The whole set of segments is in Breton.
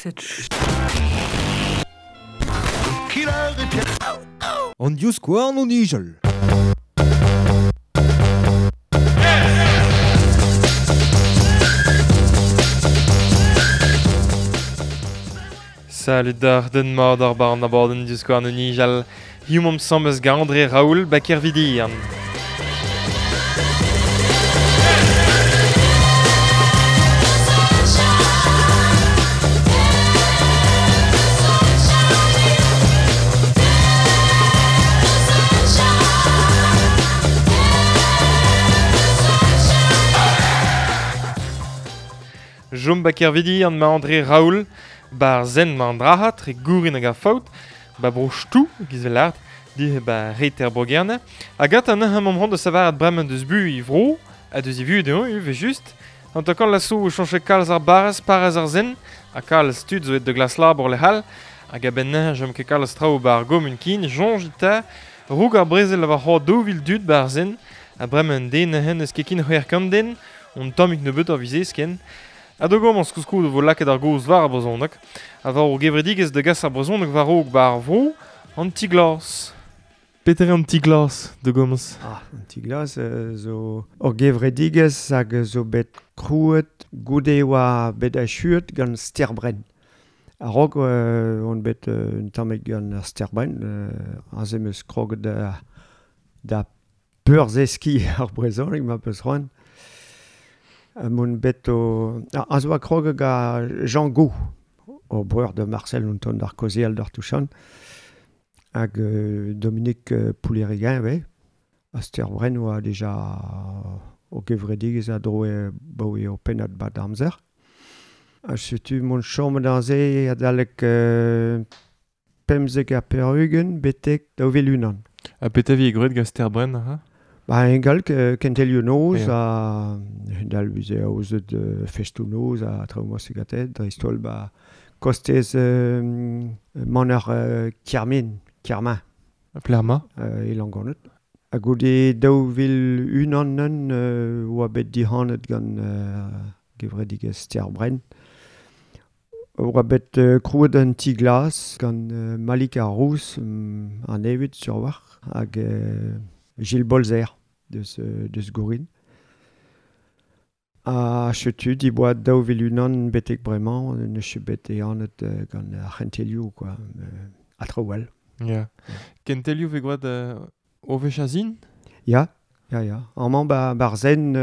Cette An divskouarn o nijal. Salut d'ar den mat ar bar an abadenn divskouarn o nijal. Hiziv omp asambles gant André Raoul ba Kervidian. Jom ba Kervidian ma André Raoul, bar zen ma an drahat, re gourin hag ar faout, ba bro chtou, giz vel di ba reter bro-Gerne, hag at an ec'h am da savaret bremañ deus bu i vro, ha deus i vu dezhañ ivez just, an takan laso o chañche kalz ar barrez, parrez ar zen, ha kalz tud zo et de glas labour lec'hall, hag a-benn neuze jom ket kalz traoù ba ar gomun kin, soñj eta, roug ar brezel a war c'hoar 2000 dud ba ar zen, ha bremañ un den neuze n'eus ket kin c'hwec'h kant den, on tammig nebeut ar vizez ken. Ha da gomañs koulskoude vo lakaet ar gaoz war ar brezhoneg, ha war o gevredigezh da gas ar brezhoneg war-raok ba ar vro, an ti-glas. Petra eo an ti-glas da gomañs? Ah, an ti-glas zo ur gevredigezh hag zo bet krouet goude oa bet achuet gant Sterbrenn. A-raok on bet un tammig gant ar Sterbrenn, aze 'm eus kroget da peurzeskiñ ar brezhoneg ma peus c'hoant. M'on bet o... Aze oa kroget gant Jean Gou, o breur da Marcel on tont d'ar kaozeal d'ar Touchan, hag Dominique Poullérigain ivez. Ha Sterbrenn oa dija o gevredigezh a droe baoe ur pennad bat amzer. Ha setu m'on chomet aze adalek 95 betek 2001. Ha petra vi gwraet gant Sterbrenn aze? Ba ingal kentelioù noz ha dal veze aozet festoù-noz ha traoù mosse gante, dreist-holl ba kostez maner Kermin, Kermin. Plerma? E Langonnet. Ha goude 2001 neun oa bet dihanet gant gevredigezh Sterbrenn. Oa bet krouet un ti glas gant Malik ar Rouz, an evit sur war, hag Gilles Bolzer deus Gourin. Ha setu diboa 2001 betek bremañ, neus ket bet ehanet gant ar c'hentelioù, quoi, ha traoù all. Ya. Kentelioù vez gwraet o wech a-zin? Ya, ya, ya. Amañ ba ba'r zen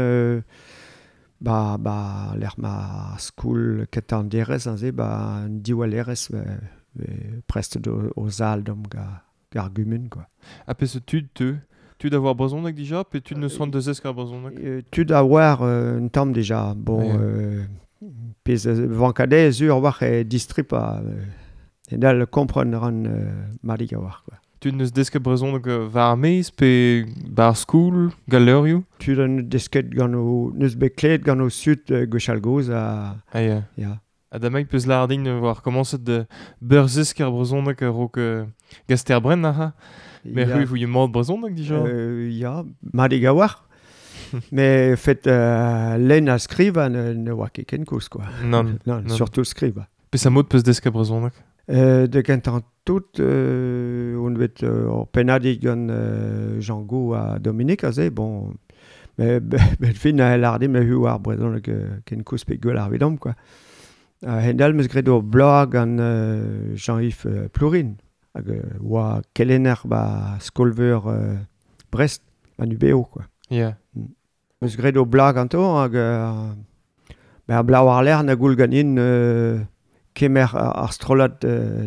ba ba lec'h ma skoul kentañ an derez aze, ba an diwallerezh vez prestet o zal deomp gant ar gumun, quoi. Ha peseurt tud teu? Tud a oar brezhoneg dija pe tud n'eus c'hoant da zeskiñ ar brezhoneg? Tud a oar un tamm dija. Bon, pezh vankadez sur a-walc'h eo distripañ. Hedall kompren a ran madik a-walc'h, quoi. Tud n'eus desket brezhoneg war ar maez pe 'ba ar skol, gant levrioù? Tud an desket gant o... n'eus bet klevet gant o zud gwechall-gozh ha... Ah ya. Ya. Ha damaik peus lâret din war komañset da beurzeskiñ ar brezhoneg a-raok gant Sterbrenn aze. Mais c'hwi vouie mat brezhoneg dija? Ya, madik a-walc'h. Mais fet lenn ha skrivañ ne oa ket ken koulz, quoi. Nann. Nann, surtout skrivañ. Peseurt mod peus desket brezhoneg? Da gentañ tout on bet ur pennadig gant Jean Gou ha Dominique aze, bon... Mais bet fin a lâret din me hu ar brezhoneg ken koulz pe gwell ar evidomp, quoi. A-hend-all 'm eus graet ur bloaz gant Jean-Yves Plourin, hag oa kelenner ba skol-veur Brest, an UBO, quoi. Ya. 'M eus graet ur bloaz ganto hag ben ar bloaz war-lerc'h na goul ganin kemer ar strollad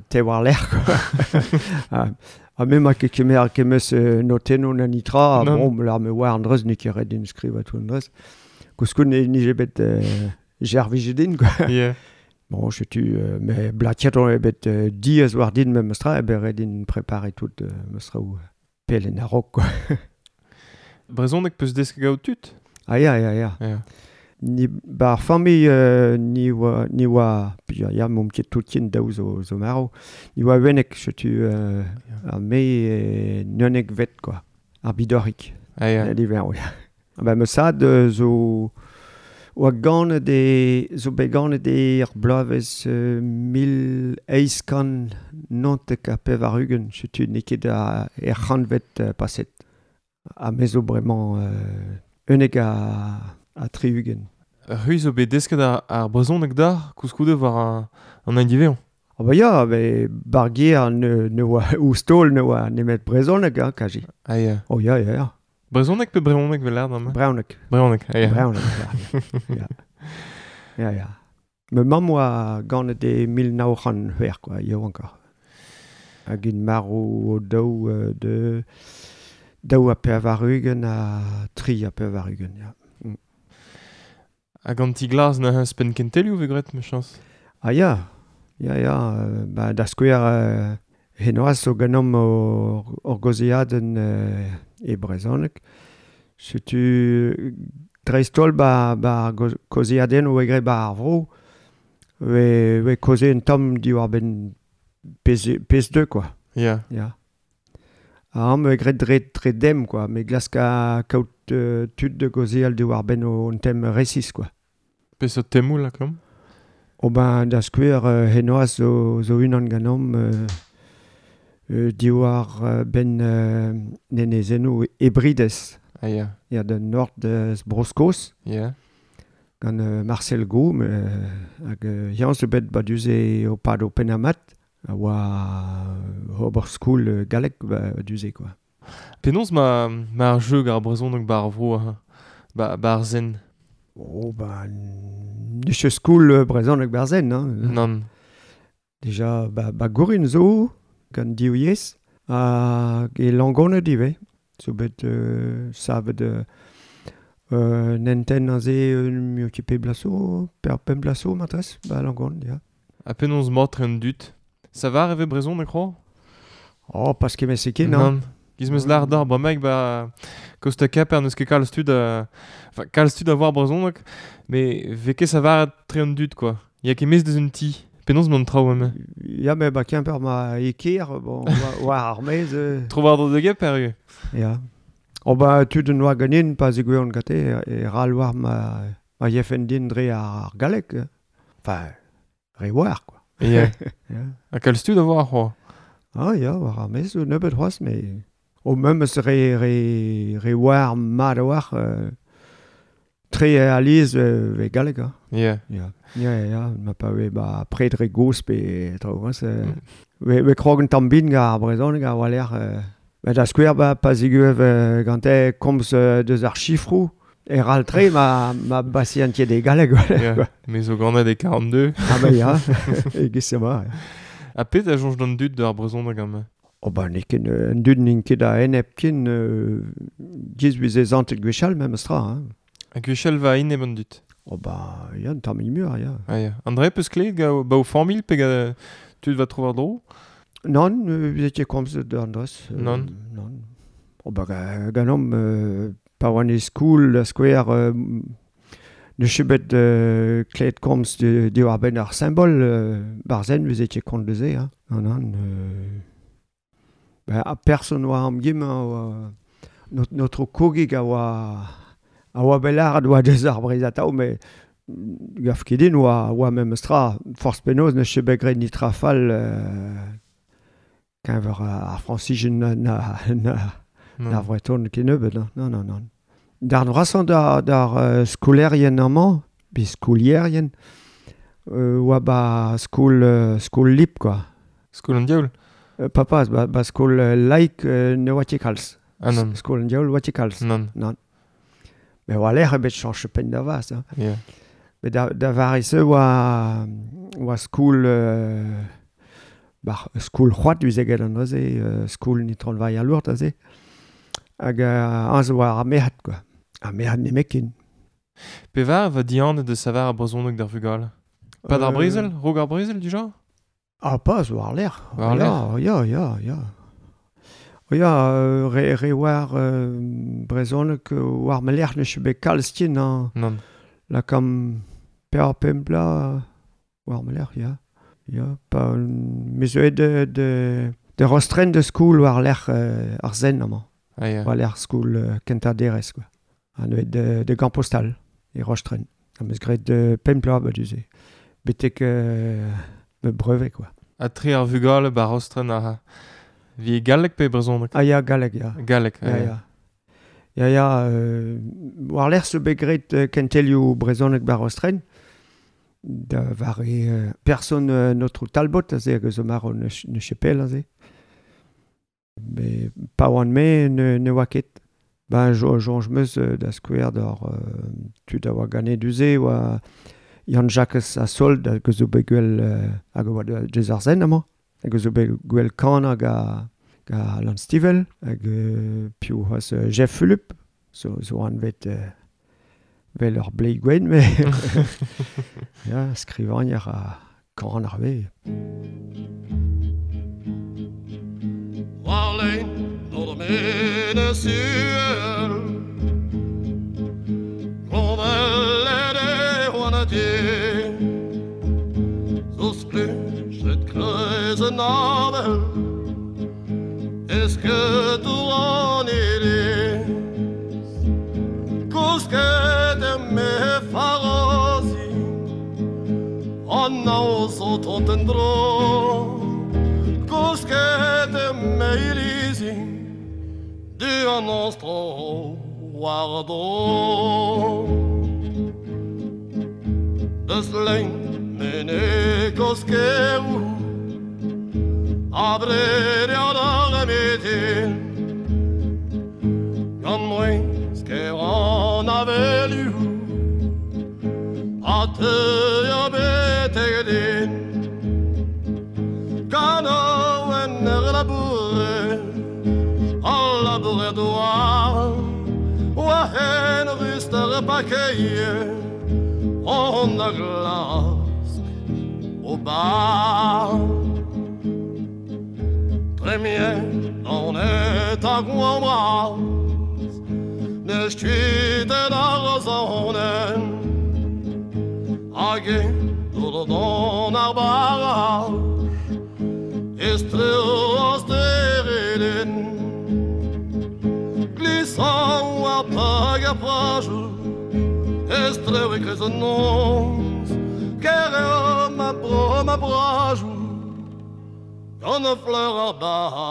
te war-lerc'h, quoi. Ha me 'ma ket kemer kemeus notennoù na nitra, bon, lar me oar an dreuz, n'eo ket ret din skrivañ tout an dreuz. Koulskoude nije bet servijet din, quoi. Yeah. Bon, setu, mais blatiet on eo bet diaes war din memestra, eo bet ret din preparer tout mestraoù pell en a-raok, quoi. Brezhoneg peus desket gaout tud? Ah ya, ya, ya. Ya. Ni ba ar familh ni oa, ni oa, ya, ya, m'omp ket tout ken daou zo, zo marv. Ni oa unnek, setu ha me naonekvet, quoi. Ar bidoc'hig. Ah ya. Diver, ya. Ba ma sad zo Oa ganet e, zo bet ganet e ar bloavezh 1894, setu n'eo ket er c'hantved paset. Ha me zo bremañ 71. C'hwi zo bet desket ar brezhoneg d'ar koulskoude war an hent diwezhañ. Ah ba ya, be bar gêr ne oa ouzh taol ne oa nemet brezhoneg, hein, kaji. Ah ya. Oh ya, ya, ya. Brezhoneg pe brezhoneg vel lâret amañ? Brezhoneg. Brezhoneg, ah ya. Brezhoneg, ya. Ya, ya. Ya. Ma mamm oa ganet e 1906, quoi, yaouankoc'h. Hag int marv o daou de 82 ha 83, ya. Hag an ti glas neuze ouzhpenn kentelioù 'vez graet, mechañs. Ah ya, ya, ya, ba, da skouer henoazh zo ganeomp hor gaozeadenn e brezhoneg. Setu dreist-holl ba, ba kaozeadennoù 'vez graet 'ba ar vro, 'vez kaozeet un tamm diwar-benn pezh deu quoi. Ya. Ya. Ha amañ 'vez graet dre dem quoi, me glask kaout tud da gaozeal diwar-benn un tem resis quoi. Peseurt temoù lakaomp? Oh ben da skouer henoazh zo unan ganeomp diwar benn enezennoù Hebrides. Ah ya. Ya, da nord eus Bro-Skos. Ya. Gant Marcel Gaume hag eñ zo bet ba du-se o pad o pennamat a oa ober skol gallek ba du-se quoi. Penaos ma ar jeu gant ar brezhoneg 'ba ar vro ha 'ba ar Sen? Oh ben n'eus ket skol brezhoneg 'ba ar Sen hein. Nann. Dija ba Gourin zo gant div yezh hag e Langoned ivez zo bet savet un hentenn aze un ket pet bloaz zo, pemp bloaz zo matresse ba Langoned ya. Ha penaos mat an dud? Savar e vez brezhoneg c'hoazh? Oh, pas kement-se ken, hein. Nann. Giz 'meus lâret deoc'h bremaik ba Costa Caper n'eus ket kalz tud a... Enfin, kalz tud a voar brezhoneg, met 'vez ket savaret tre an dud, quoi. Ya ket maez deus un ti. Penaos 'mañ an traoù amañ? Ya, met ba Kemper 'ma e kêr, bon, war ar maez... Tro-war-dro da Gemper ivez. Ya. Oh ba tud en oa ganin pa zegouezhont gante e ral war ma yefen din dre ar galleg. Enfin, re war, quoi. Ya. Ya. Ha kalz tud a voar c'hoazh. Ah ya, war ar maez zo nebeut c'hoazh, met o memes re war mat a-walc'h tre alies 'vez galleg hein. Ya. Ya, ya, ya, ma pa vez ba pred re gozh pe traoù hein, 'vez krog un tamm bin gant ar brezhoneg a-walc'h. Ba da skouer ba pa zegouezh gante komz deus ar sifroù e ral-tre ma basiantiet e galleg. Ya, me zo ganet e 42. Ah ba ya, e-giz-se 'ma. Ha pet a soñj d'an dud d'ar brezhoneg amañ? Oh ba n'eo ket an dud n'int ket a-enep ken giz 'veze santet gwechall memes tra hein. Ha gwechall 'va enep an dud? Oh ba ya, un tammig muioc'h ya. Ah ya. André 'peus klevet gant ba ho familh pe gant tud 'va tro-war-dro? Nann, 'veze ket komzet d'an dros. Nann. Nann. Oh ba ganeomp pa oan e skol da skouer n'eus ket bet klevet komz diwar-benn ar simbol barzh 'veze ket kont deus se hein. Nann, nann. Ba ar person 'oa amgemañ 'oa notre kogig a oa bet lâret 'oa deus ar Breizh atav met gav ket din 'oa memes tra. Forzh penaos n'eus ket bet graet netra fall keñver ar Frañsizien na Vreton kennebeut hein. Non, non, non. Darn vrasañ d'ar skolaerien amañ, pe skolierien, 'oa ba skol lip quoi. Skol an diaoul? Papa, ba skol laik ne oa ket kalz. Ah nann. Skol an diaoul 'oa ket kalz. Nann. Nann. Met war-lerc'h eo bet chañchet penn da vazh hein. Ya. Met da vare-se 'oa skol ba skol c'hoad 'veze graet an dra-se, skol Itron Varia Lourdes aze. Hag aze 'oa ar merc'hed quoi. Ar merc'hed nemetken. Pevar 'va dihanet da savar ar brezhoneg d'ar vugale? Pad ar brezel? Raok ar brezel dija? Ah pas war-lerc'h. War-lerc'h? Ya, ya, ya. Ya, re war brezhoneg war ma lerc'h n'eus ket bet kalz ken hañ. Nann. Lakaomp pevar pemp bloaz war ma lerc'h, ya. Ya, pa me zo aet de Rostren da skol war-lerc'h ar Sen amañ. Ah ya. War-lerc'h skol kentañ derez quoi. Ha neuze de Gambostal e Rostren. Am eus graet pemp bloaz ba du-se. Betek me brevet, quoi. Ha tre ar vugale ba Rostren a vi galleg pe brezhoneg? Ah ya, galleg, ya. Galleg, ya. Ya, ya, ya war-lerc'h zo bet graet kentelioù brezhoneg ba Rostren, da vare person notre Talbot, aze hag zo marv ne chepel aze. Me pa oan me ne oa ket. Ben, soñj 'm eus da skouer d'ar tud a oa ganet du-se oa Yann-Jakez a Sold hag zo bet gwell hag oa deus ar zen amañ. Hag zo bet gwell kan hag a Alan Stivell hag piv c'hoazh Jeff Fulup zo anvet vel ur bleiz gwenn mais ya skrivagner ha kan ar vez. Warlein door de menez uhel Gronvellet e oan Zo splujet kreiz an avel Eskedour an iliz Kousket er me farozi An naoz o tont en-dro Kousket er me ilizi Du an ostro war dro Deus lein mene koskeroù Abred eo d'ar mitin Gant mouezh ker an avelioù A teuio betek din Kanaouenn ur labourer Al labourer douar Oa hen rust ar pakeier On a glask o bar Premier on est a gouan bras Neus kuitet ar zonen Hag e dour don ar barraj Estreo steredin Glissant war pag ar prajou Estreo e kreiz an noz Ker eo ma bro ma brajou Gant a fleur ar baradoz.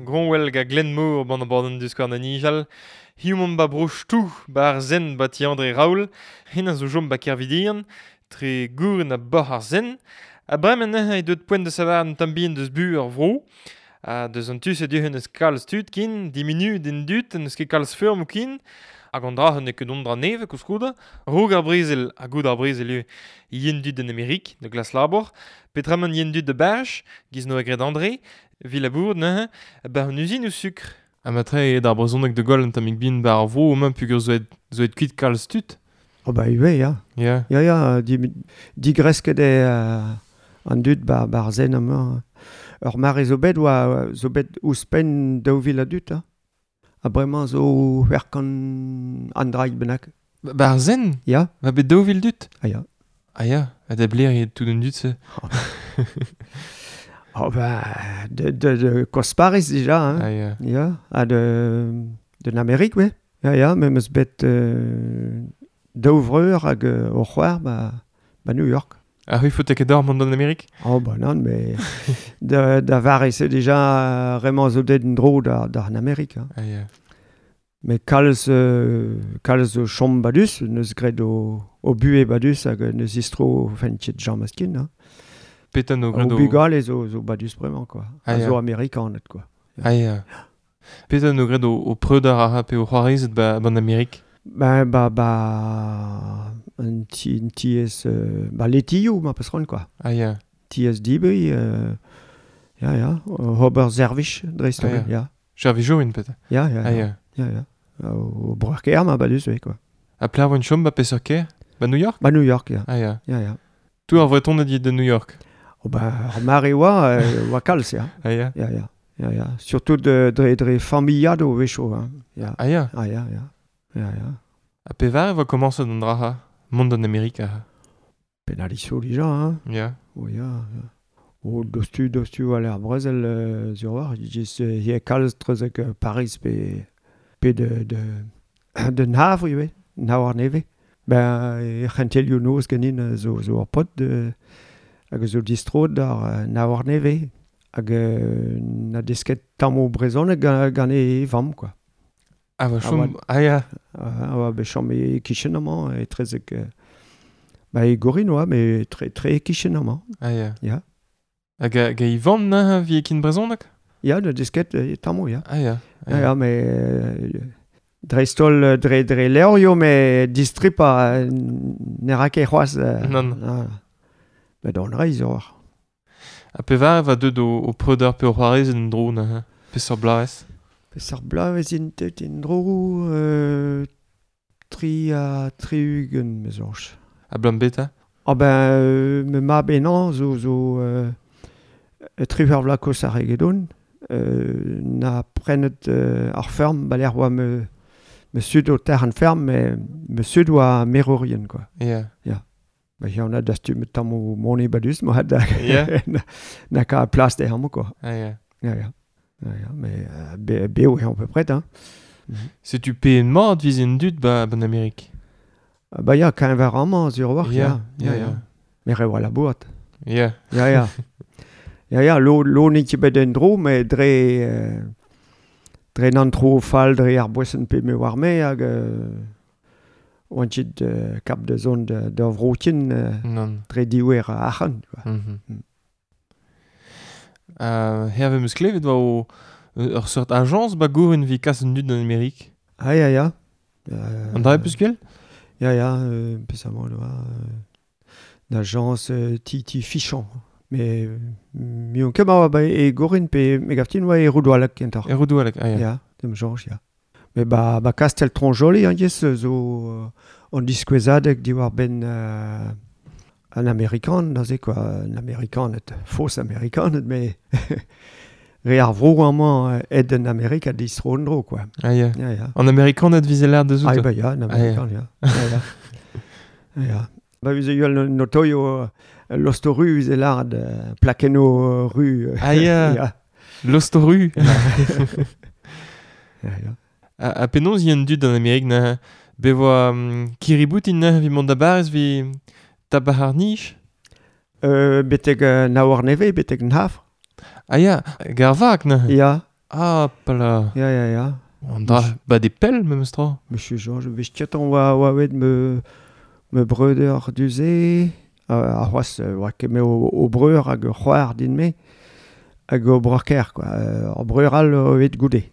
Gronwell ga Glenmor ban an borden diskouarn da nijal. Hiziv omp ba bro Chtou, ba ar Zen ba ti André Raoul. Hen a zo chom ba Kervidian, tre gouren ha boc'h ar Zen. Ha bremañ neuze eo deuet poent da savar un tamm bihan deus bu ar vro. Ha deus an tu-se du n'eus kalz tud ken, diminu den dud, n'eus ket kalz feurmoù ken. Hag an dra n'eo ket dont dra nevez koulskoude. Raok ar brezel, ha goude ar brezel ivez, yen dud en Amerik, da glas labour. Petra yen dud da Barj, giz noa graet André, vi labour neuze, ba an uzin o sukr. Ha matre eo d'ar brezhoneg da goll un tammig bihan ba ar vro emañ peogwir zo aet, zo aet kuit kalz tud. Oh ba ivez, ya. Ya. Ya, ya, digresket eo an dud ba, ba ar zen amañ. Ur mare zo bet oa zo bet ouzhpenn 2000 a dud, ha. Ha bremañ zo c'hwec'h kant an draig bennak. Ba ar zen? Ya. Va bet 2000 dud? Ah ya. Ah ya, ha da bler eo tout an dud-se. Oh ba, de Kosparis dija, hein. Ah ya. Ya, ha de l'Amérique, ouais. Ya, ya, me 'm eus bet daou vreur hag o c'hoar ba New York. Ah oui, faut ket d'or mont d'an Amérique? Oh ba nann, mais da vare-se dija remañ zo deut en-dro d'ar Amérique. Hein. Ah ya. Mais kalz zo chom badus, neus graet o buhez badus hag neus istro fentet Jean Maskin. Hein. Petra no graet O o... bugale zo badus bremañ, quoi. Ah, A ya. zo amerikaned, quoi. Ah ya. Petra no graet o preudar a ra pe o c'hoarezed ba an Amérique? Ba, ba, ba, un ti, un tiez, ba letioù, ma peus c'hoant, quoi. Ah ya. Tiez dibri, ya, ya, ober servij dreist-holl, Ah, ya. ya. Servijourien, petra. Ya, ya, Ah ya. ya. Ya, ya. O breur kaer ma badus, oui, quoi. Ha pler voen chom ba peseurt kêr? Ba New York? Ba New York, ya. Ah ya. Ya, ya. Tout ar Vretoned dit de New York. Oh ba, ar mare oa kalz, ya. Ah ya. Ya, ya. Ya, ya. Surtout dre familiad o wecho, hein. Ya. Ah ya. Ah ya, ya. Ya, ya. Ha pevar e voa komañset an dra ha? Mont d'an Amerika. Penaliso dija, hein. Ya. Oh ya, ya. O dostu war ar brezel sur war, just hier kalz treuzek Paris pe de Havre ivez, Havre neve. Ben e c'hentelioù noz ganin zo ur pot de hag zo distro d'ar Havre neve hag na desket tammo brezhoneg gant e vamm quoi. Ah va chom ah ya. Ah va bet chom e kichen amañ e trezek ba e gorin oa mais tre kichen amañ. Ah ya. Ya. Hag e vamm na vi kin brezhoneg? Ya, na desket tammo ya. Ah ya. Ya, mais dreist-holl dre levrioù mais distripa ne ra ket c'hoazh. Non. Ba d'an reizh eo. Ha pevar va deut o preuder pe o c'hoarez en dro na peseurt bloavezh? Peseurt bloavezh int deut en dro 63 me soñj. Ha blam beta? Ah ben me mab enañ zo 3 vloaz koz ar egedon na prenet ar ferm ba lec'h oa me sud o ter an ferm me sud oa merourien quoi. Yeah. Ya. Ba on a dastumet tammoù money badus mo had yeah. na ka plas de amañ quoi. Ah ya. Ya ya. Ya mais beo eo à peu près hein. Setu pe en mat viz en dud ba ban Amerik. Ba ya keñver amañ sur war ya. Ya ya. Mais re oa labourat. Ya. Ya ya. Ya ya lo n'eo ket bet en dro mais dre nan tro fall dre ar boesen pe me war me hag oan ket kap de zon da vrotin dre diouer arc'hant quoi. Herve meus klevet oa o ur seurt ajañs ba gouren vi kas un dud d'an Amerik. Ah ya ya. An dra peus gwell? Ya ya, pesamant oa l'agence Titi Fichon. Mais mion ket ma ba e gorin pe me gaftin oa e Roudoualek kentoc'h. E Roudoualek, ah ya. Ya, dem soñj ya. Mais ba Kastel Tronjoli an yes zo an diskouezadeg diwar ben an Amerikan neuze quoi, an Amerikaned, fos Amerikaned mais re ar vro amañ ed an Amerik a distro an dro quoi. Ah ya. Ya ya. An Amerikaned vize l'air deus Ah ba ya, an Amerikan ya. Ya ya. Ya. Ba vize yoel notoio Lostoru vize lard plakenno ru. Ah ya. Ya. Lostoru. Ya ya. A penaos y an dud an Amerik na be voa kiriboutin na vi mont da Baris vi tabac ar nij? Betek Naouar neve, betek an Havre. Ah ya, gar vak na. Ya. Ah pala. Ya ya ya. An dra ba de pell memes tra. Monsieur Georges, vez ketan oa wet me breuder duze ar c'hoazh oa ket me o breur hag c'hoar din me hag o breur-kaer quoi. Ar breur all o wet goude.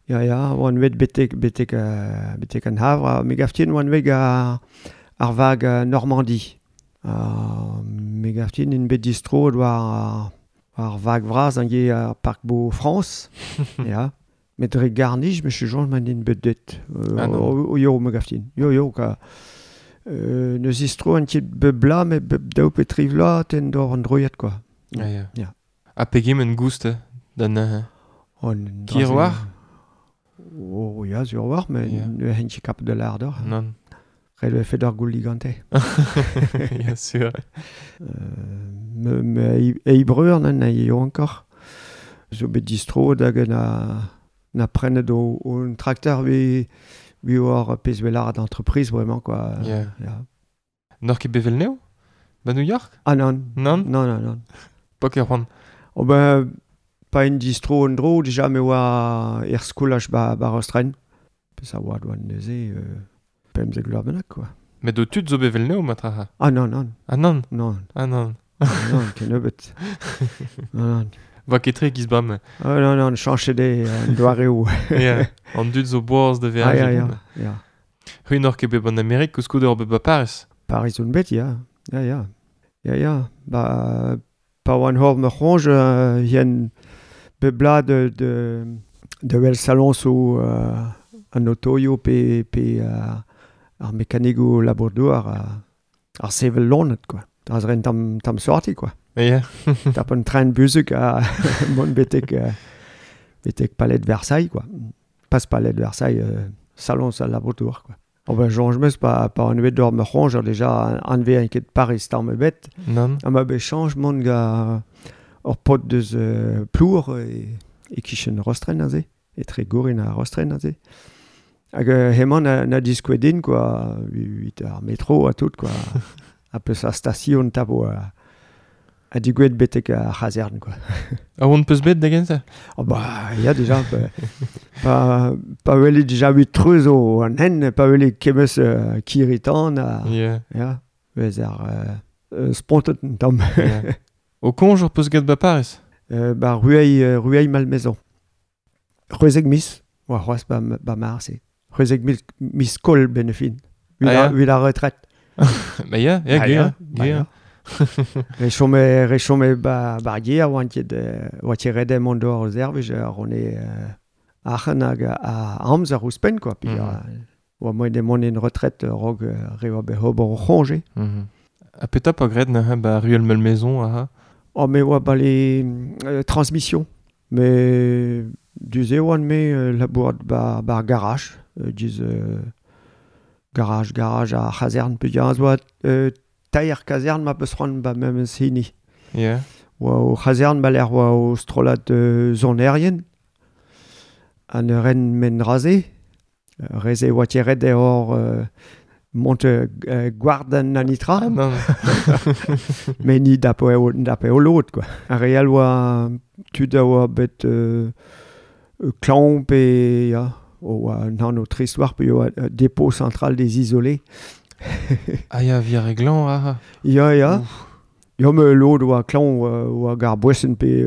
Ya ya, oan wet betek an Havre, me gaftin oan wet ar vag Normandie. Me gaftin in bet distro war ar vag vras an ge ar Parc Beau France. Ya. Met dre garnij, me Georges man in bet det. O yo me gaftin. Yo yo ka neus distro an ket bebla me beb daou pe tri vloaz ten d'or an droiad quoi. Ah ya. Ya. Ha pegement goust da neuze? Kir war? Oh ya, sur war, mais ne hen ket kap de l'ardeur. Non. Ret e fet ar goul ligante. Ya sûr. Me e breur nan na eo ankor. Zo bet distro hag na prenet o un tracteur vi war pezh welar d'entreprise vraiment quoi. Yeah. Ya. N'oc'h ket bevel neo? Ba New York? Ah non. Non? Non non non. Pa ket c'hoant. Oh ben pa en distro an dro déjà me oa er skolaj ba Rostren. Pezh a oa doan neuze pemzek vloaz bennak quoi. Met o tud zo bevel neo matraha? Ah non non. Ah non? Non. Ah non. Non, kennebeut. Non non. Va ket tre giz bam. Ah non non, chañchet eo an doareoù. Ya, an dud zo boaz da Ah veajiñ. ya ya ya. C'hwi n'oc'h ket bet ban Amerik koulskoude ur bet ba Paris. Paris on bet ya. Ya ya. Ya ya. Ba pa oan hor me c'hoñj yen bebla de wel salon zo an otoio pe ar mekanigoù labour-douar ar sevel lonet quoi. Dra ren tam sorti quoi. Ya. Tap un train buzuk a mont betek palais de Versailles quoi. Pas palais de Versailles, salon sa labour-douar quoi. Oh ben Jean meus pa an bet d'or me c'hoñj déjà anve an ket Paris tamm ebet. Non. Ha ma bet chañj mont ga ur pot deus Plour e kichen Rostren aze, etre Gourin ha Rostren aze. Hag hemañ na diskouet din, quoi, evit ar metro ha tout, quoi. Ha peus ar station tabo a digouet betek ar c'hazern, quoi. A oan peus bet da gentañ? Oh bah, ya déjà, pa welet déjà huit treuz o an hen, pa welet kemeus kiritan, ha, ya, vez ar spontet un tamm. Yeah. O koñj ur peus get ba Paris? Ba Rueil Malmaison. C'hwezek miz, oa c'hoazh ba mar-se. C'hwezek miz kol ben e fin. Evit la retraite. Ba ya, ya, gwir, gwir. Re chome ba ar gêr oant ket oa ket ret mont d'ober o servij ar on eo arc'hant hag a amzer ouzhpenn quoi. Puis oa moaien mont en retraite raok re oa bet ober o c'hoñje. Ha petra pa graet neuze ba Rueil Malmaison aha? Oh me oa ba les transmissions. Mais du-se oan me labourat ba ar garage. Diz garage ar c'hazern peogwir oa teir kazern ma peus c'hoant ba memes hini. Yeah. Oa o c'hazern ba lec'h oa o strollad sonerien. An ren men raze. Reze oa tiret e hor mont gward an anitra. Ah, non. Mais ni dapo eo lod, quoi. Ar re all oa tud a oa bet klañv pe ya, oa un anv trist war pe oa dépôt central des isolés. Ah ya, vi ar re glañv, ah. Ya, ya. Ya, me lod oa klañv oa gar boesen pe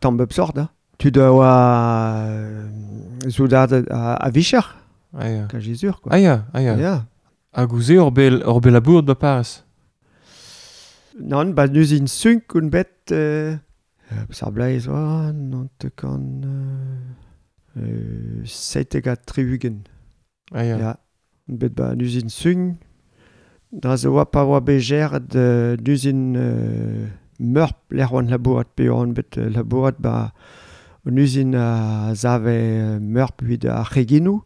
tamm bep sort, hein. Tud a oa soudard a vicher. Ah ya. Kaji sur, quoi. Ah ya, ah ya. Ya. Hag ouzh ur bel labour da Paris? Nann, ba neus in sunk un bet ar bleiz oa, nantekan 77. Ah ya. Ya. Bet ba neus in sunk, dra zo oa pa oa bet geret neus in meurp lec'h oan labourat, pe oan bet labourat ba un uzin a zave meurp evit ar c'heginoù.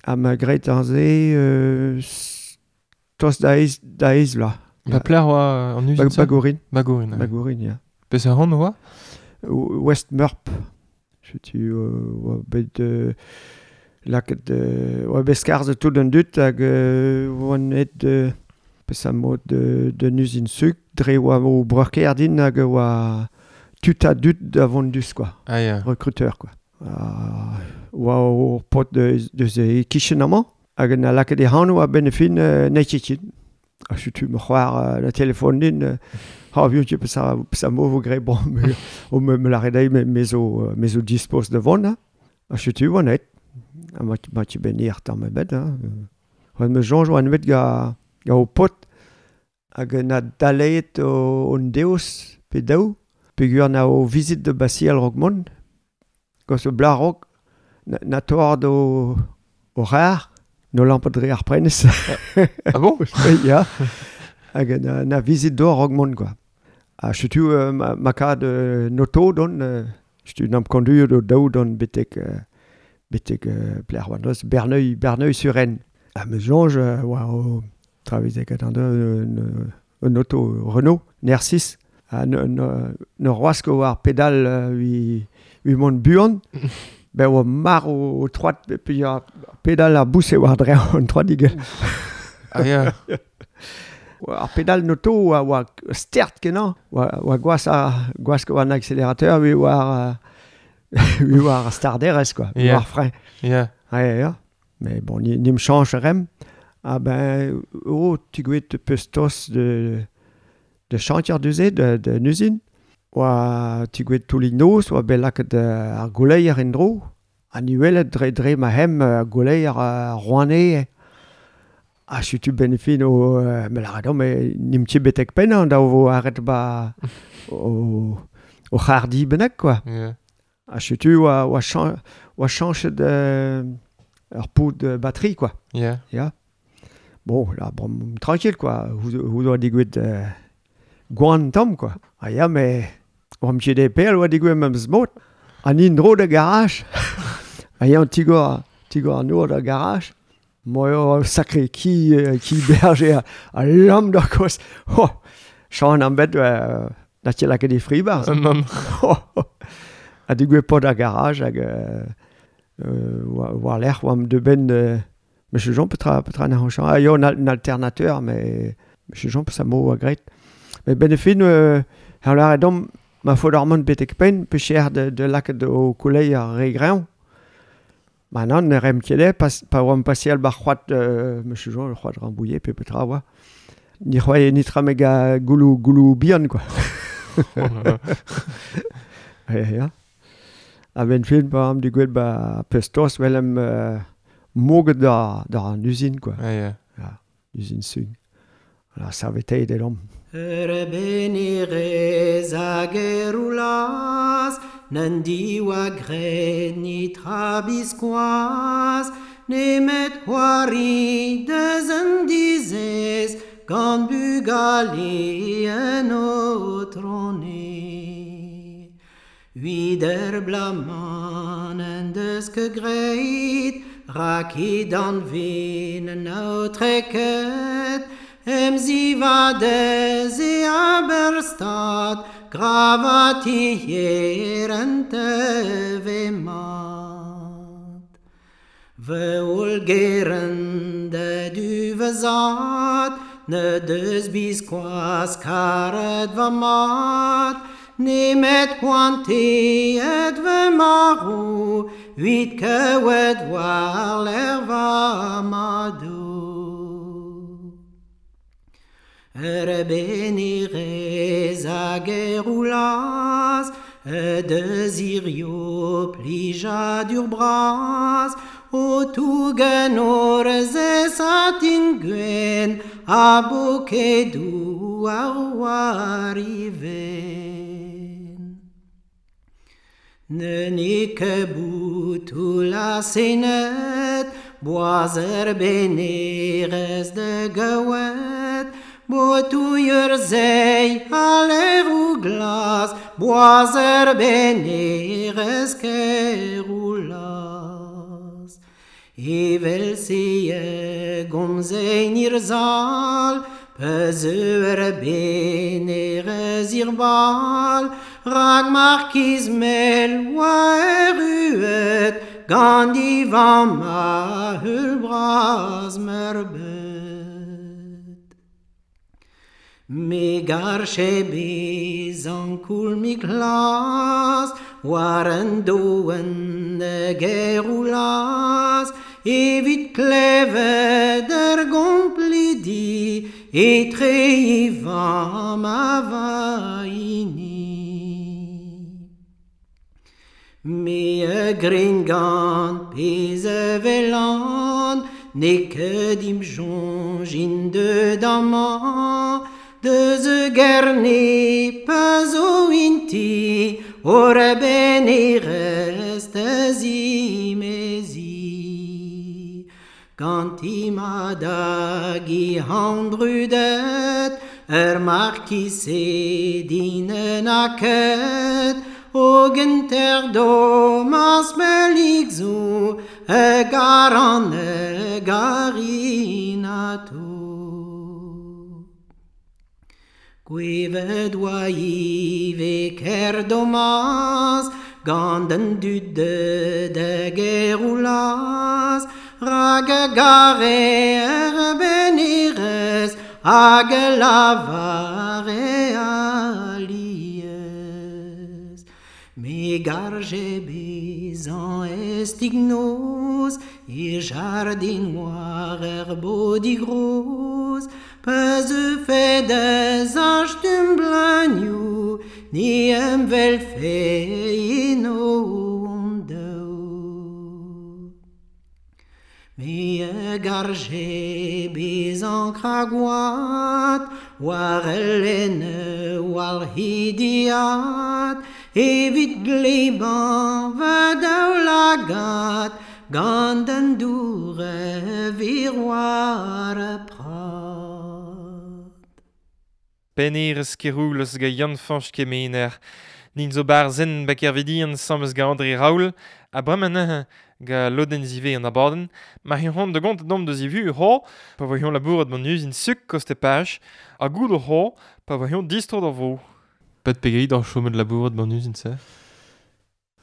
Ha ma graet ar se tost da eiz vloaz. Ba plec'h oa an uzin? Bagourin. Bagourin, Bagourin, ya. Peseurt anv oa? West Meurp. Setu oa bet lakaet oa bet skarzhet tout an dud hag oan aet peseurt mod d'un uzin suk dre oa o breurkaer din hag oa tud a dud da vont dus, quoi. Ah, ya. Recruteur, quoi. Oa ur paotr deus e kichen amañ hag na lakaet e anv a-benn e fin n'eo ket. Ha setu ma c'hoar la telefon din ha vion ket peseurt mo vo graet bon o me lâret dezhi me zo dispos da vont ha setu oan aet. Ha ma ket ben ir tamm ebet hein. Me soñj oan bet ga ho paotr hag na daleet hon deus pe daou peogwir na o vizit da basial raok mont. Gant o blar raok na toard o c'har, no lampet dre ar prenez. Ah bon? Ya. Hag na vizit d'or raok mont, quoi. Ha setu ma kad noto don, setu n'am konduet o daou don betek plec'h oa deus Berneuil-sur-Aisne. Ha me soñj oa o travezek an un auto Renault, NR6. Ha ne roas ket war pedal ui mont buan. Ben oa mar o troad pe ar pedal ar bouse war dre an troadig. Ah ya. Ar pedal noto oa stert kenañ. Oa gwas gwask war an accélérateur ui war ui war starderez, quoi. Yeah. War frein. Yeah. Ah ya. Mais bon, ni me change rem. Ah ben oh tu gwet peus tos de chantier duze de usine. Oa tu gwet toulig noz, oa bet lakaet ar gouleier en-dro. Ha ni welet dre ma hem ar gouleier Rouane. Ha setu ben e fin o me lâret me n'im ket betek pennañ da vo arret ba o c'hardi bennak, quoi. Yeah. Ha setu oa chañchet ur pod batterie, quoi. Yeah. Yeah. Bon, là, bon, tranquille, quoi. Hou doa digouet gwan tamm, quoi. Ah ya, mais oa ket e pel oa digouet memes mod. An indro da garage. Ah ya, an tigor an nour da garage. Moi, oh, sacré ki berger a lamm d'ar koz. Oh, chan am bet Na ket lakaet e fri barz. Nann. Ha digouez pod ar garage hag war lec'h oamp de ben Monsieur Jean petra na c'hoñchañ. Ah yo, un alternateur, mais Monsieur Jean peus a mo a graet. Mais ben e fin, ar lâret domp, ma faot ar mont betek penn, pe cher de lakaat o koulei ar re greñv. Ma nann, ne rem ket eo, pa oamp paseal bar c'hoad, Monsieur Jean, c'hoad Rambouillet, pe petra oa. Ni c'hoaie nitra meg a goulou bihan, quoi. Ya, ya. A ben fin, pa am digouet ba pestos, welem moget da an usine, quoi. Ja, ya. Ja, usine sug. Voilà, saveteit elomp. Ur benerez hag eroulaz, n'en diwa graet nitra biskoazh, nemet c'hoari deus an dizez, gant bugale en otrone. Huit ur blaman en deus ket graet, rak he danve n'en aotreket, em zivadez e aberstad, gravatier en teve mat. Ve ol geren de duvezat, ne deus biskoazh karet va mat, nemet poanteet ve maro, huit kewet war l'er va madou. Ur benerez hag eroulaz, deus hirio plijadur bras, o tougen orez satin gwen, a bokedou ar war iven. Ne ne ket boutou la senet, boaz ur benerez de gewet, Botouier zei a lerou glas, boaz ur benerez keroulaz. Evel se e gomzein ir zal, peus ur benerez ir bal, rag markiz mel oa erruet, gant i vamm a heul bras meurbet. Me garche bezan koul mi glas, war an doen geroulaz, evit klevet ur gomplidi, etre e vamm a va hini. Me a grin gant pezh a velan, ne ket im soñj int deut amañ, deus e gerne pa zo inti, ur benerez da zimezi. Gant i mat hag i han brudet, ur markiz din en aket, hogen ter domas melik zo, e garan e garinato. Gwevet oa ive ker domaz, gant an dud de geroulaz, rag a gare ur benerez, hag a lavare aliez. Me garje bezan estignoz, e jardin war ur bodigroz, peus e fedez ach blagnou, ni em vel fe eno on daou. Me a garje bezan kragoat, war el enne war hidiat, evit gleban va daoulagat, gant an dour e vir war a prat. Penerez keroulez ga Yann-Fañch Kemener. Nin zo bar zen ba kervidian samez ga André Raoul, a bremañ ga lodenn zive an abadenn, ma c'hont de gont dom deus ivu ho, pa vo labourat man usine suk koste page, ha goud ho, pa vo distro d'ar vro. Pet pegeit d'ar chomet labourat ban uzin se?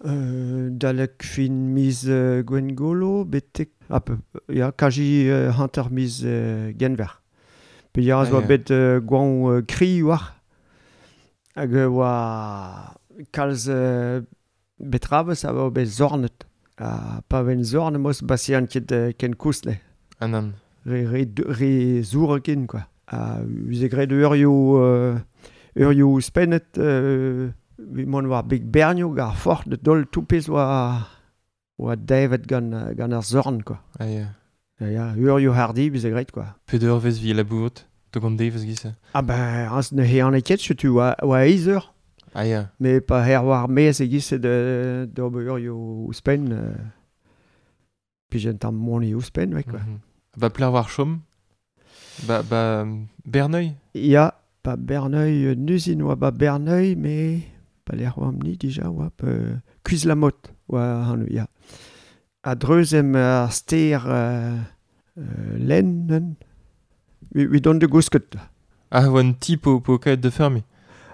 Dalek fin miz Gwengolo, betek... ya, kaji hanter miz Genver. Pe ya zo bet gwan kri war. Hag oa kalz betravez a oa bet zornet. Ha pa ven zorn mos basian ket ken kousle. Ah nan. Re zour ken, quoi. Ha uze graet eurioù spennet mont war beg bernioù gar fort de dol toupez oa davet gant ar zorn, quoi. Ah ya. Ya, eurioù hardi bize graet, quoi. Pet eur vez vi labourat to gant devez giz? Ah ben, az ne hean ket, setu oa eiz eur. Ah ya. Mais pa her war mez e giz d'ober eurioù ouzhpenn pijen tamm moni ouzhpenn, ouais, quoi. Mm -hmm. Ba pler war chom? Ba Berneuil? Ya, ba Berneuil, nuzin oa ba Berneuil, mais pa lec'h oa amni dija oa Kuizlamot oa hanu, ya. A dreuzem ar ster len, wi don de gousket. Ah, oa un ti po kaet de fermi?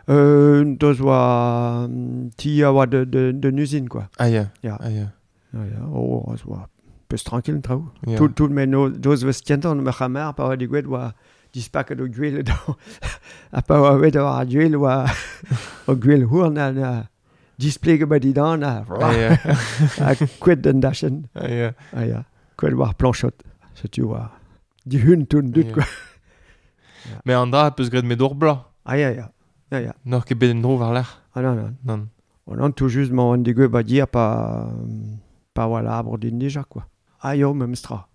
Deus oa ti a oa de nuzin, quoi. Ah ya, ya. Ah ya. Ah ya, oh, oa peus tranquille traoù. Yeah. Tout men doz vez kentan ma c'hamar pa oa digouet oa dispaket o gwel ha pa oa bet ar gwel oa o gwel hourn ha displege ba didan ha ha kouet d'an dachen. Ah ya. Ah ya. Kouet war planchot. Setu oa dihun tout dut, quoi. Mais an dra peus graet met ur bla. Ah ya ya. Ya ya. N'or ket bet en dro war lec'h. Ah non non. Non. On an tout juste ma an digouet ba dir pa oa labour din dija, quoi. Ah yo, memes tra.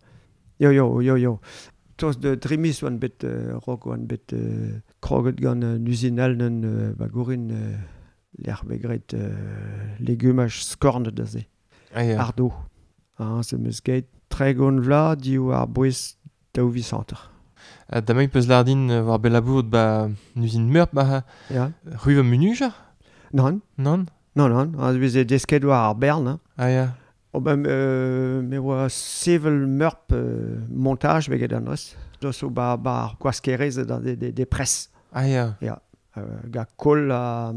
Yo. Toz de drimis oan bet rok oan bet kroget gant uzinal n'en ba gourin lec'h bet graet legumaj skorn da se. Ah ya. Ardo. Ah, se meus geit tregont vla div ar bouez daou visanter. Ha damañ peus lardin war bet labourat ba uzin meurp ba Ya. Ruva munujar? Non. Non? Non. Ah, veze desket war ar bern, hein. Ah ya. Oh ben, me oa sevel meurp montage veget an eus. Deus o ba ar gwaskerez da de pres. Ah ya. Ya. Ga kol a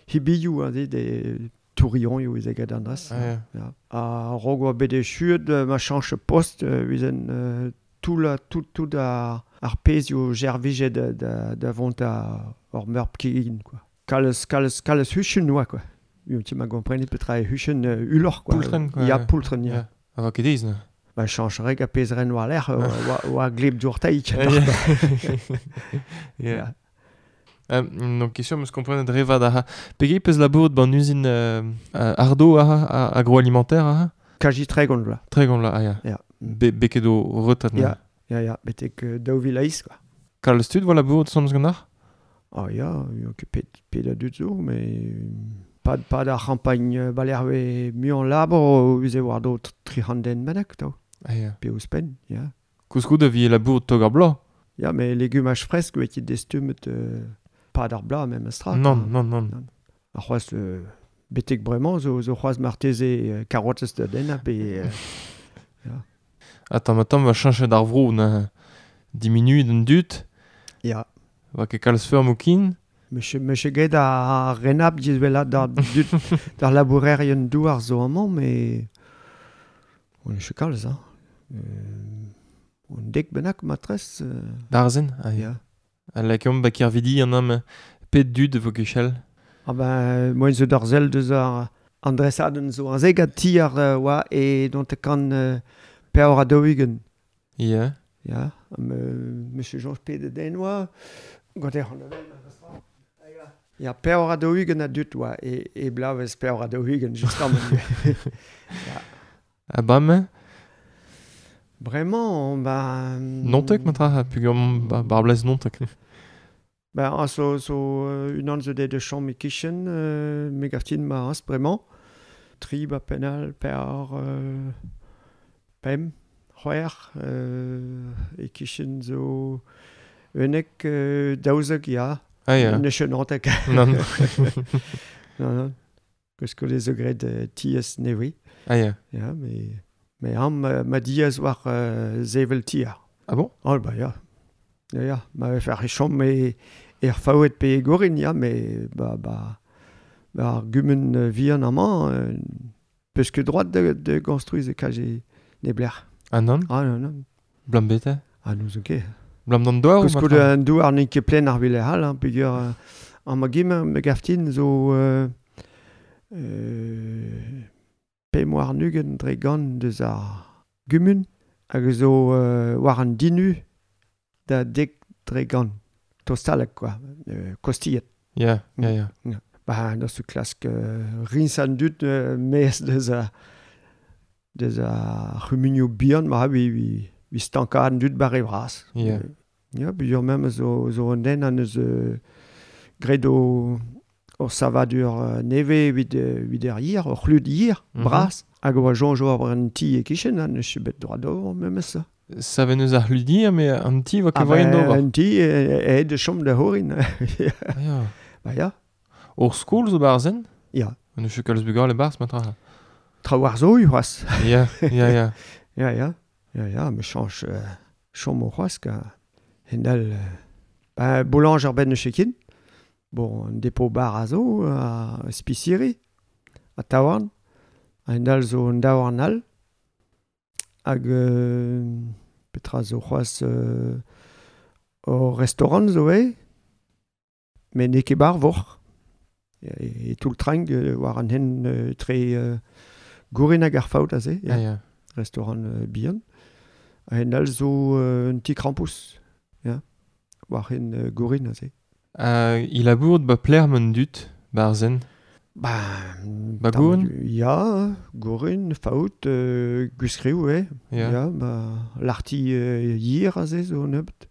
hibioù de tourillon eo eget an eus. Ah ya. Ya. A rog oa bet echuet ma chanche post vizen tout ar pezhioù jervije da vont a ur meurp kegin, quoi. Kalez huchen oa, quoi. Tu m'as compris petra e huchen ulor, quoi. Poultren, quoi. Ya, poultren, ya. A va ket ez, ne? Ba, chancherek a pezren war lec'h, oa gleb dourtaik. Ya. Donc, question, meus komprenet revad aha. Pegei peus labourat ban uzin ardo aha, agroalimentaire aha? Kaji tregont la. Tregont la, ah ya. Ya. Beket o retat, ne? Ya, betek daou vil eiz, quoi. Kalz tud voa labourat soñj gant ar? Ah ya, ket pet a dud zo, mais... Pas d'ar c'hampagn balerve muiañ labour uze war do tri c'hant den bennak, tao. Ah ya. Pe ouzhpenn, ya. Koulskoude vi labour tog ar bloaz. Ya, mais legumaj fresk oe ket destumet pas d'ar bloaz même astra. Non. Ar c'hoaz betek bremañ zo c'hoaz marteze karotez da denna pe... ya. Attends, va chañchet ar vro na diminu d'an dud. Ya. Va ket kalz feurm o kin. Me get ar renab dizvela d'ar d'ar labourerien douar zo amañ, mais on est kalz, hein. On dek bennak matrez. D'ar zen, ah ya. A lakeomp ba kervidi an am pet dud vo kechel. Ah ben, moen zo d'ar zel deus ar andresadenn zo an zegat ti ar oa e dont e kan peor a daou-ugent. Ya. Ya, monsieur Jean pet den oa, gant ec'h an avel. Ya, peor a daou-ugent a dut oa, e blavez peor a daou-ugent, justement. Ya. A bam? Bremañ, ba... Nontek, matra, pugur bar blez nontek. Ba, an zo unan zo de chom e kichen, me gaftin ma ans, bremañ. Tri ba penal, peor, pem, c'hwec'h, e kichen zo unnek daouzek, ya. Ah ya. Ne chenantek. Non. Non. Koulskoude zo graet tiez nevi. Ah ya. Ya, mais am ma diaz war zevel tier. Ah bon? Oh bah ya. Ya, ma vefe ar chom e Er faouet pe e gorin, ya, me ba ar gumun vihan amañ, peus ket droit de construiz e kaje neblec'h. Ah non? Ah non, non. Blam bete? Ah nous ket. Blam d'an douar ou Koulskoude an douar n'eo ket plen ar vile hall, hein, peogwir an ma gim, me gaftin zo 25 dre gant deus ar gumun hag zo war an dinu da 10 dre gant. Tostalek, quoi. Kostillet. Ya, ya, ya. Ba, da su klask rins an dud mez deus a c'humunioù bihan, ma vi stanka an dud bare vras. Ya. Ya, buur mem zo an den an eus graet o savadur neve evit er yir, o c'hlud yir, bras. Hag oa soñj ober an ti e kichen, an eus bet droit d'ober memes. Saven eus ar c'hlud mais an ti va ket voien d'ober. An ti e de chom da horin. Ya. Ba ya. Ur skol zo barzen? Ya. An eus kalz bugale barz, matra. Traoù ar zo, c'hoazh. Ya, ya, ya. Ya, ya. Ya, ya, me chañch chom o c'hoazh ka hendal. Ba, boulanger ar ben eus ket. Bon, un dépôt bar a zo, a spisiri, a taouarn. Hendal zo un daouarn all. Hag petra zo c'hoazh o restaurant zo e, met n'eo ket bar voc'h. E tout le train war an hen tre gourin hag ar faout aze, ya. Ya. Restaurant bihan. Ha all zo un ti krampouezh, ya, war hen gourin aze. Il a bourd ba pler mon dut, barzen. Ba gourin? Ya, gourin, faout, gwiskriou, e. Ya. Ya, ba l'arti yir aze zo nebeut.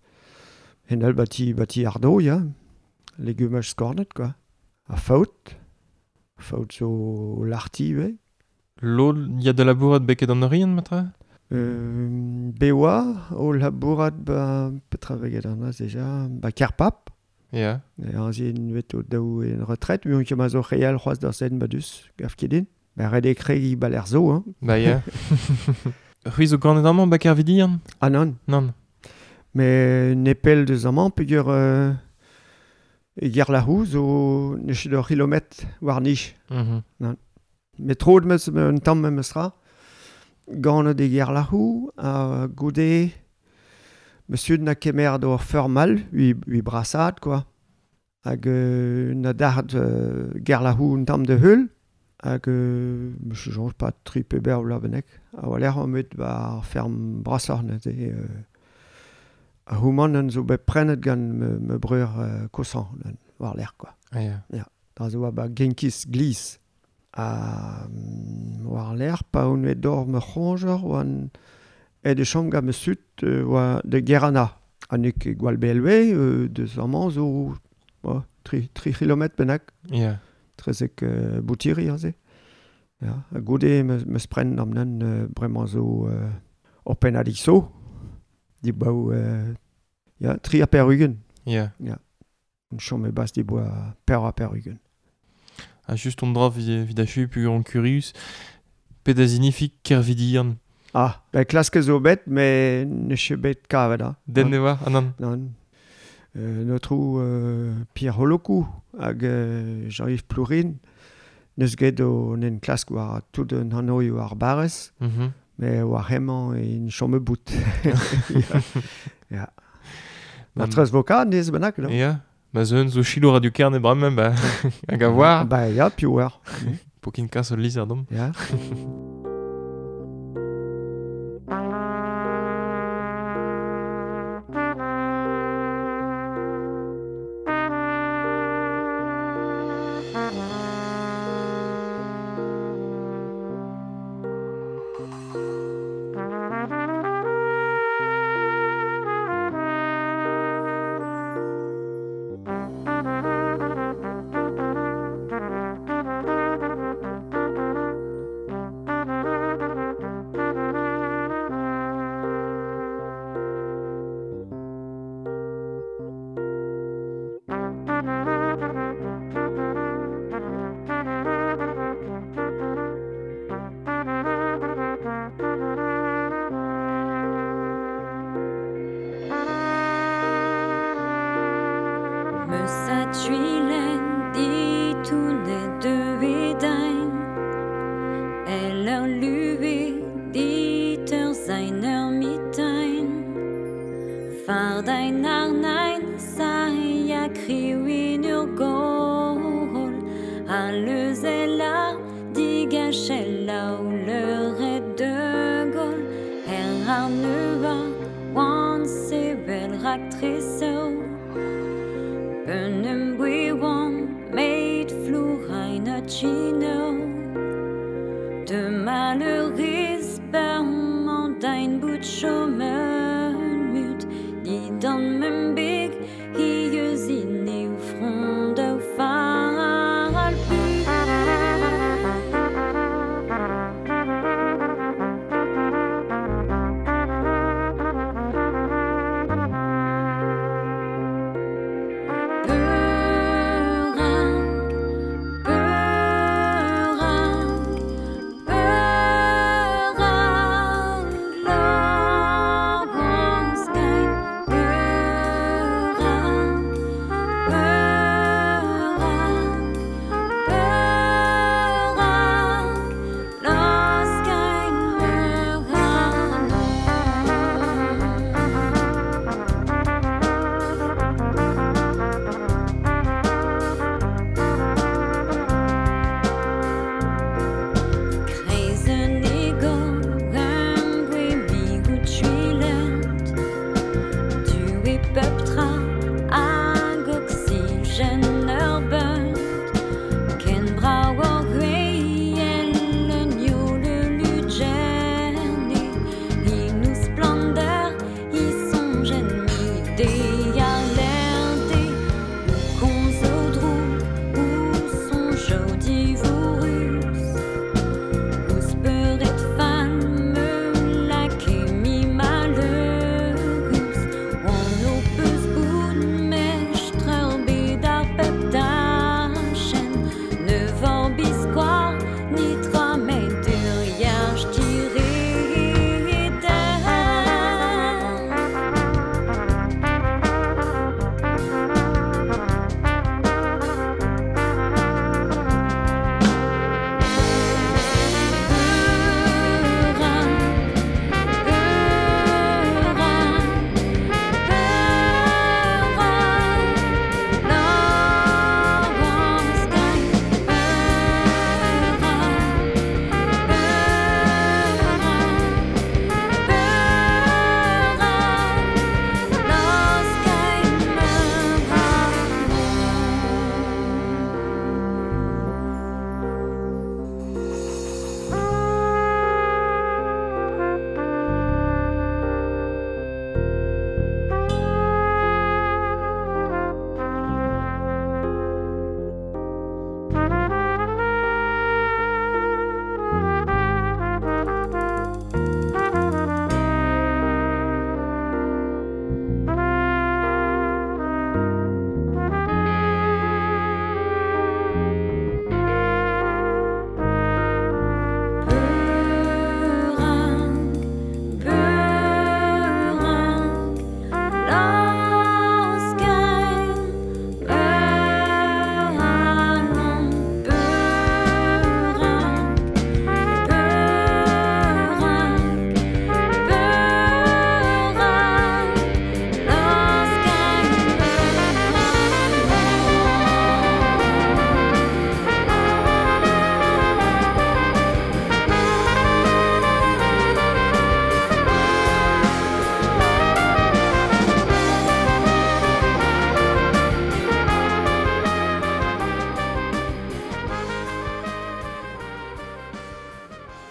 Hen all bati ardo, ya. Legumaj skornet, quoi. A faout. Faout zo l'arti, we. Lod, ya de labourat beket an orien, matra? Bewa, o labourat ba petra veget an az deja, ba Kerpap. Ya. An zin vet o daou en retret, muion ket ma zo real c'hoazh d'ar sen badus, gaf ket din. Ba ret e kregi ba l'er zo, hein. Ba ya. C'hwi zo ganet amañ ba Kervidian? Ah non. Non. Mais nepel deus amañ peogwir e Gerlahou zo ne ket ur kilometr war nij. Mm-hmm. Non. Met tro meus un tamm memes ra. Ganet e Gerlahou a goude Monsieur na kemer d'or feurmal, ui brasad, quoi. Hag na dard Gerlahou un tamm de heul. Hag monsieur soñj pas tri pe ber la benek. A oa lec'h met ba ferm brasoc'h neuze. A houman an zo bet prenet gant me breur kosan war lec'h, quoi. Ah, ya. Ya. Da zo ba genkis glis. A war lec'h pa on bet d'or me c'hoñjer oan e de chom gant me sut oa de Gerana. An eo ket gwall BLW deus amañ zo 3 kilometr bennak. Ya. Trezek boutiri aze. Ya. Ha goude me spren am nan bremañ zo ur pennadig zo. Di baou ya, 3 ha per ugent. Ya. Ya. Un chom e bas di boa per ha per ugent. Ha just on dra vid achu pu an curius. Pet a zinifik Kervidian. Ah, ben klask zo bet, mais ne ket bet kavet, ha. Den ne oa, ah non. Non. Notre Pierre Holokou hag Jean-Yves Plourin neus get o nen klask war tout an hanoioù ar barrez, mais war hemañ en chom bout. Ya. Ma trez voka nez bennak, non? Ya. Ma zeun zo chilo radio kerne bremañ, ba hag a war. Ba ya, piv war. Pokin kas ul lizher dom. Ya. Lezella, digachella ou le de Gaulle, her arneva, wan sebel raktreseu. Benem bouiwan, meit flourain a chino. De malheuris perman dein bout chômen mut, di dan mem big, hi eus in eu front au fal pu.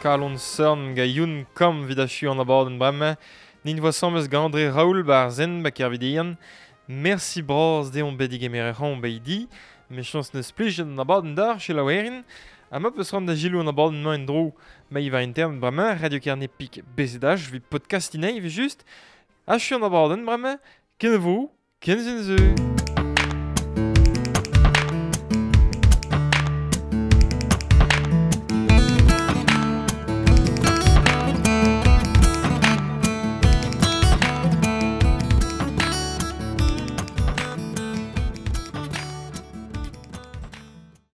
Kalon Cern ga Youn Kam vid achu an abadenn bremañ. Nin voa samez gant André Raoul bar zen ba kervidian. Merci braz deomp bet digemeret ran beidi. Me chans neus plij an abadenn d'ar chez la werin. Ha ma peus ran da gilou an abadenn mañ en dro ma iva intern bremañ Radio Kerne Pik BZH vi podcast inei vi just. Achu an abadenn bremañ. Ken vo, ken zen zeu.